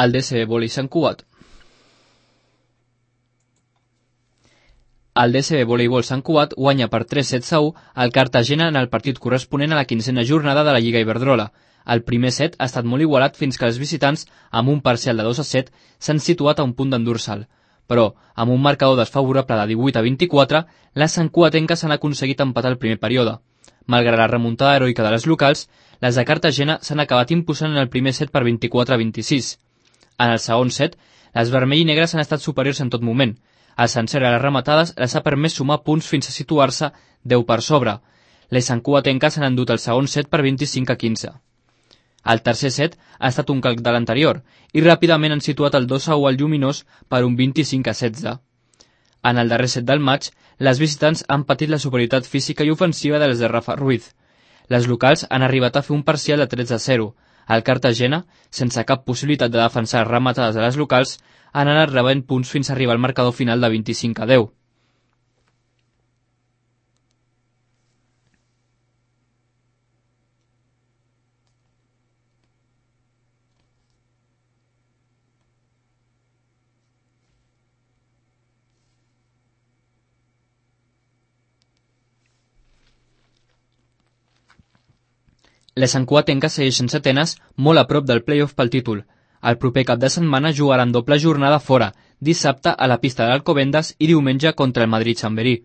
El DSB Vòlei Sant Cugat. El DSB Voleibol Sant Cugat guanya per 3-7-1 al Cartagena en el partit corresponent a la 15a jornada de la Lliga Iberdrola. El primer set ha estat molt igualat fins que els visitants, amb un parcial de 2-7, s'han situat a un punt d'endur-se'l. Però, amb un marcador desfavorable de 18-24, les santcugatenques han aconseguit empatar el primer període. Malgrat la remuntada heroica de les locals, les de Cartagena s'han acabat imposant en el primer set per 24-26. En el segon set, les vermell i negres han estat superiors en tot moment. El sencer a les rematades les ha permès sumar punts fins a situar-se 10 per sobre. Les santcugatenques han endut el segon set per 25-15. El tercer set ha estat un calc de l'anterior i ràpidament han situat el 2-1 al Lluminós per un 25-16. En el darrer set del maig, les visitants han patit la superioritat física i ofensiva de les de Rafa Ruiz. Les locals han arribat a fer un parcial de 13-0. El Cartagena, sense cap possibilitat de defensar rematades de les locals, han anat rebent punts fins a arribar al marcador final de 25-10. Les santcugatenques segueixen setenes molt a prop del play-off pel títol. El proper cap de setmana jugaran doble jornada fora, dissabte a la pista d'Alcobendas i diumenge contra el Madrid-Chamberí.